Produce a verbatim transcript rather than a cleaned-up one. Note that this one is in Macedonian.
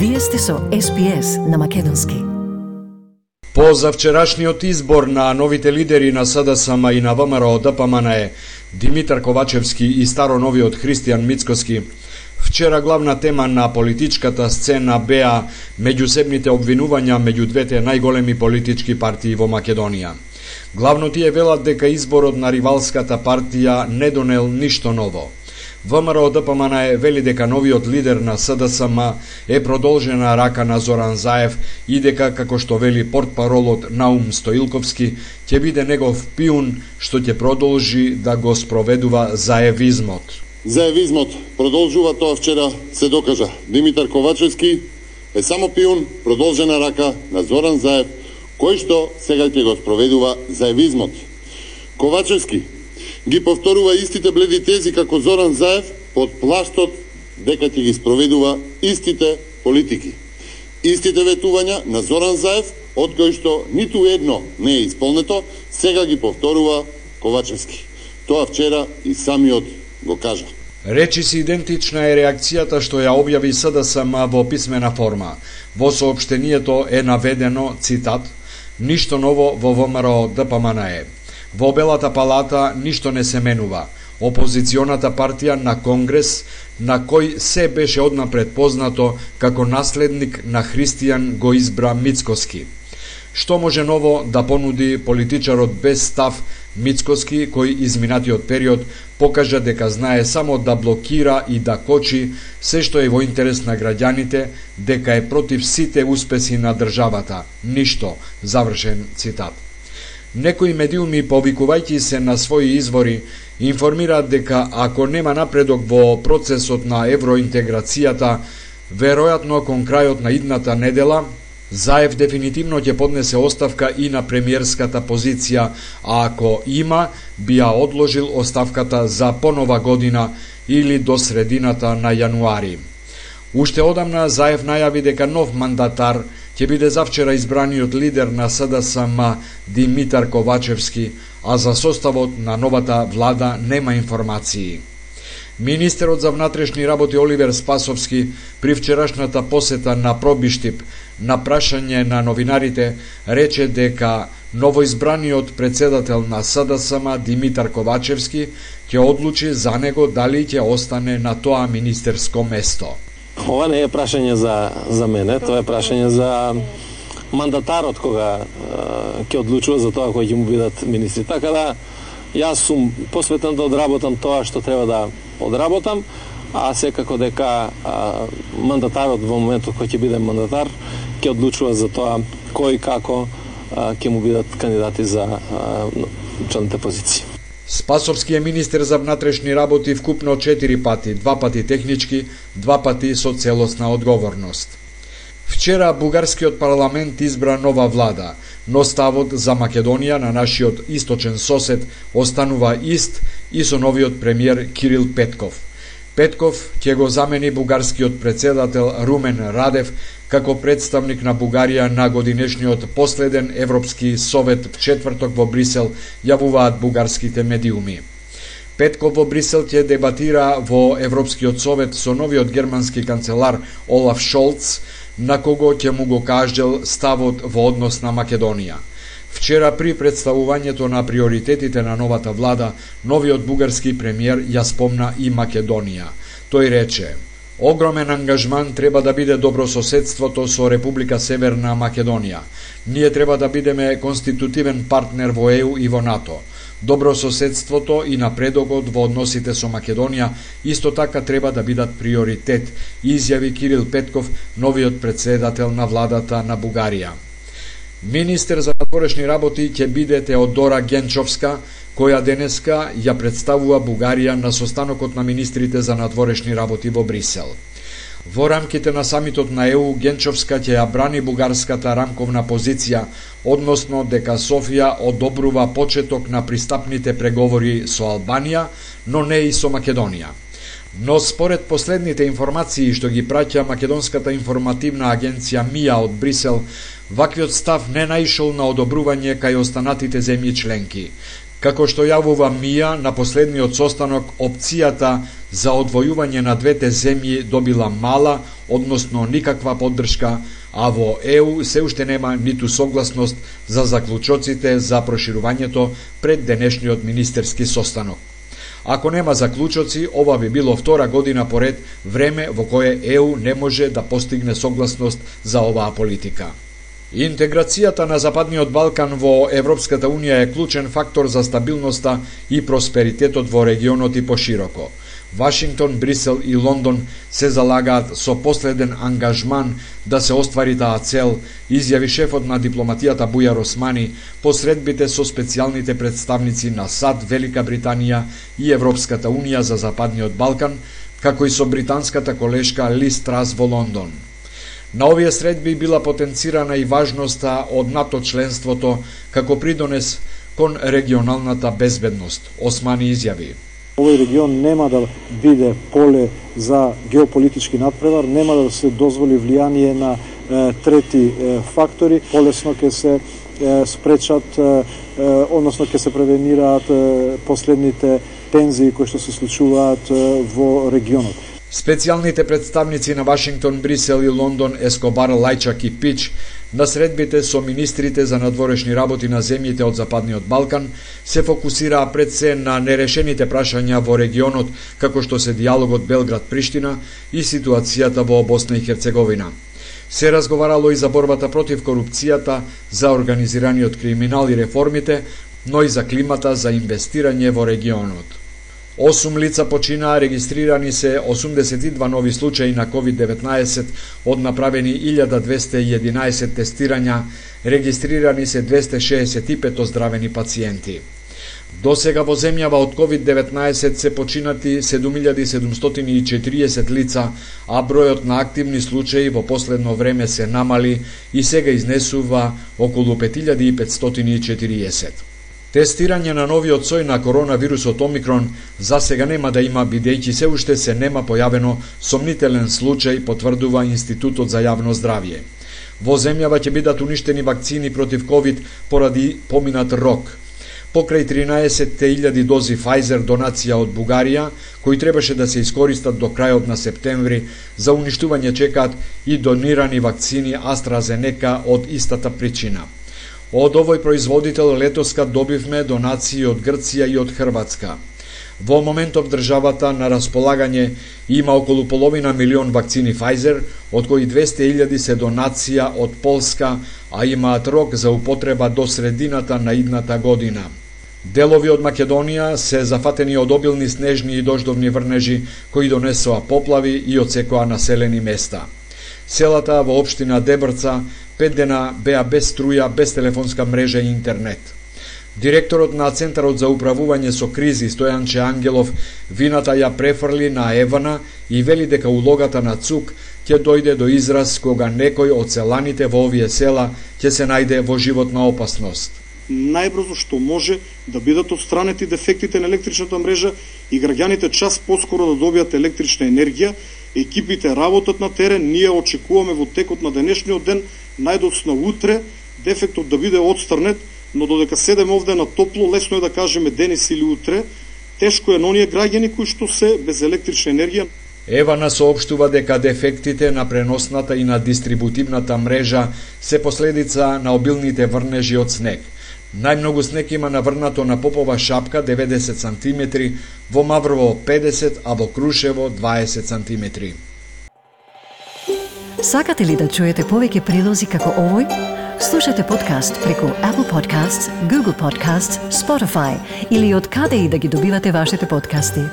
Вие сте со Ес Би Ес на македонски. По завчерашниот избор на новите лидери на СДСМ и на ВМРО Д П М Н Е, Димитар Ковачевски и староновиот Христијан Мицкоски, вчера главна тема на политичката сцена беа меѓусебните обвинувања меѓу двете најголеми политички партии во Македонија. Главно тие велат дека изборот на ривалската партија не донел ништо ново. ВМРО Д П М Н Е вели дека новиот лидер на СДСМ е продолжена рака на Зоран Заев и дека, како што вели портпаролот Наум Стоилковски, ќе биде негов пиун што ќе продолжи да го спроведува заевизмот. Заевизмот продолжува, тоа вчера се докажа. Димитар Ковачевски е само пиун, продолжена рака на Зоран Заев, кој што сега ќе го спроведува заевизмот. Ковачевски ги повторува истите бледи тези како Зоран Заев под плаштот дека ќе ги спроведува истите политики. Истите ветувања на Зоран Заев, од кои што ниту едно не е исполнето, сега ги повторува Ковачевски. Тоа вчера и самиот го кажа. Речиси идентична е реакцијата што ја објави СДСМ во писмена форма. Во соопштението е наведено, цитат, "Ништо ново во ВМРО Д П М Н Е. Во Белата палата ништо не се менува. Опозиционата партија на Конгрес, на кој се беше однапред познато како наследник на Христијан, го избра Мицкоски. Што може ново да понуди политичарот без став Мицкоски, кој изминатиот период покажа дека знае само да блокира и да кочи се што е во интерес на граѓаните, дека е против сите успеси на државата. Ништо", завршен цитат. Некои медиуми, повикувајќи се на своји извори, информираат дека ако нема напредок во процесот на евроинтеграцијата, веројатно кон крајот на идната недела, Заев дефинитивно ќе поднесе оставка и на премиерската позиција, а ако има, би ја одложил оставката за понова година или до средината на јануари. Уште одамна Заев најави дека нов мандатар ќе биде завчера избраниот лидер на СДСМ Димитар Ковачевски, а за составот на новата влада нема информации. Министерот за внатрешни работи Оливер Спасовски при вчерашната посета на Пробиштип на прашање на новинарите рече дека новоизбраниот председател на СДСМ Димитар Ковачевски ќе одлучи за него дали ќе остане на тоа министерско место. Ова не е прашање за, за мене, тоа е прашање за мандатарот кога е, ќе одлучува за тоа кои ќе му бидат министри. Така да, јас сум посветен да одработам тоа што треба да одработам, а секако дека а, мандатарот во моментот кој ќе биде мандатар ќе одлучува за тоа кој како а, ќе му бидат кандидати за а, челните позиции. Спасовски е министер за внатрешни работи вкупно четири пати, два пати технички, два пати со целосна одговорност. Вчера бугарскиот парламент избра нова влада, но ставот за Македонија на нашиот источен сосед останува ист и со новиот премиер Кирил Петков. Петков ќе го замени бугарскиот председател Румен Радев како представник на Бугарија на годинешниот последен Европски совет в четврток во Брисел, јавуваат бугарските медиуми. Петков во Брисел ќе дебатира во Европскиот совет со новиот германски канцелар Олаф Шолц, на кого ќе му го каждел ставот во однос на Македонија. Вчера при представувањето на приоритетите на новата влада, новиот бугарски премиер ја спомна и Македонија. Тој рече: "Огромен ангажман треба да биде добрососедството со Република Северна Македонија. Ние треба да бидеме конститутивен партнер во Е У и во НАТО. Добрососедството и напредокот во односите со Македонија исто така треба да бидат приоритет", изјави Кирил Петков, новиот председател на владата на Бугарија. Министер за надворешни работи ќе биде Теодора Генчовска, која денеска ја представува Бугарија на состанокот на министрите за надворешни работи во Брисел. Во рамките на самитот на Е У, Генчовска ќе ја брани бугарската рамковна позиција, односно дека Софија одобрува почеток на пристапните преговори со Албанија, но не и со Македонија. Но според последните информации што ги праќа Македонската информативна агенција МИА од Брисел, ваквиот став не наишол на одобрување кај останатите земји членки. Како што јавува МИА, на последниот состанок опцијата за одвојување на двете земји добила мала, односно никаква поддршка, а во Е У се уште нема ниту согласност за заклучоците за проширувањето пред денешниот министерски состанок. Ако нема заклучоци, ова би било втора година поред време во кое Е У не може да постигне согласност за оваа политика. Интеграцијата на Западниот Балкан во Европската Унија е клучен фактор за стабилноста и просперитетот во регионот и пошироко. Вашингтон, Брисел и Лондон се залагаат со последен ангажман да се оствари таа цел, изјави шефот на дипломатијата Бујар Османи по средбите со специјалните представници на САД, Велика Британија и Европската Унија за Западниот Балкан, како и со британската колешка Лиз Трас во Лондон. На овие средби била потенцирана и важноста од НАТО членството како придонес кон регионалната безбедност, Османи изјави. Овој регион нема да биде поле за геополитички надпревар, нема да се дозволи влијание на е, трети е, фактори, полесно ќе се е, спречат, е, односно ќе се превенираат е, последните тензии кои што се случуваат е, во регионот. Специјалните представници на Вашингтон, Брисел и Лондон, Ескобар, Лајчак и Пич, на средбите со министрите за надворешни работи на земјите од Западниот Балкан, се фокусираа пред се на нерешените прашања во регионот, како што се диалогот Белград-Приштина и ситуацијата во Босна и Херцеговина. Се разговарало и за борбата против корупцијата, за организираниот криминал и реформите, но и за климата за инвестирање во регионот. Осум лица починаа, регистрирани се осумдесет и два нови случаи на ковид деветнаесет, од направени илјада двесте и единаесет тестирања, регистрирани се двесте шеесет и пет оздравени пациенти. До сега во земјава од ковид деветнаесет се починати седум илјади седумстотини и четириесет лица, а бројот на активни случаи во последно време се намали и сега изнесува околу пет илјади и петстотини и четириесет. Тестирање на новиот сој на коронавирусот Омикрон за сега нема да има, бидејќи се уште се нема појавено сомнителен случај, потврдува Институтот за јавно здравје. Во земјава ќе бидат уништени вакцини против ковид поради поминат рок. Покрај тринаесет илјади дози Pfizer донација од Бугарија, кои требаше да се искористат до крајот на септември, за уништување чекаат и донирани вакцини AstraZeneca од истата причина. Од овој производител летоска добивме донации од Грција и од Хрватска. Во моментов државата на располагање има околу половина милион вакцини Pfizer, од кои двесте илјади се донација од Полска, а имаат рок за употреба до средината на идната година. Делови од Македонија се зафатени од обилни снежни и дождовни врнежи кои донесоа поплави и отсекоа населени места. Селата во општина Дебрца пет дена беа без струја, без телефонска мрежа и интернет. Директорот на Центарот за управување со кризи Стојанче Ангелов вината ја префрли на Евана и вели дека улогата на ЦУК ќе дојде до израз кога некој од селаните во овие села ќе се најде во животна опасност. Најбрзо што може да бидат отстранети дефектите на електричната мрежа и граѓаните час поскоро да добијат електрична енергија. Екипите работат на терен, ние очекуваме во текот на денешниот ден, најдоцна утре, дефектот да биде отстрнет, но додека седеме овде на топло, лесно е да кажеме денес или утре, тешко е на оние граѓани кои што се без електрична енергија. Евана соопштува дека дефектите на преносната и на дистрибутивната мрежа се последица на обилните врнежи од снег. Најмногу снег има наврнато на Попова шапка деветдесет сантиметри, во Маврово педесет, а во Крушево дваесет сантиметри. Сакате ли да чуете повеќе прилози како овој? Слушате подкаст преку Apple Podcasts, Google Podcasts, Spotify или од каде и да ги добивате вашите подкасти.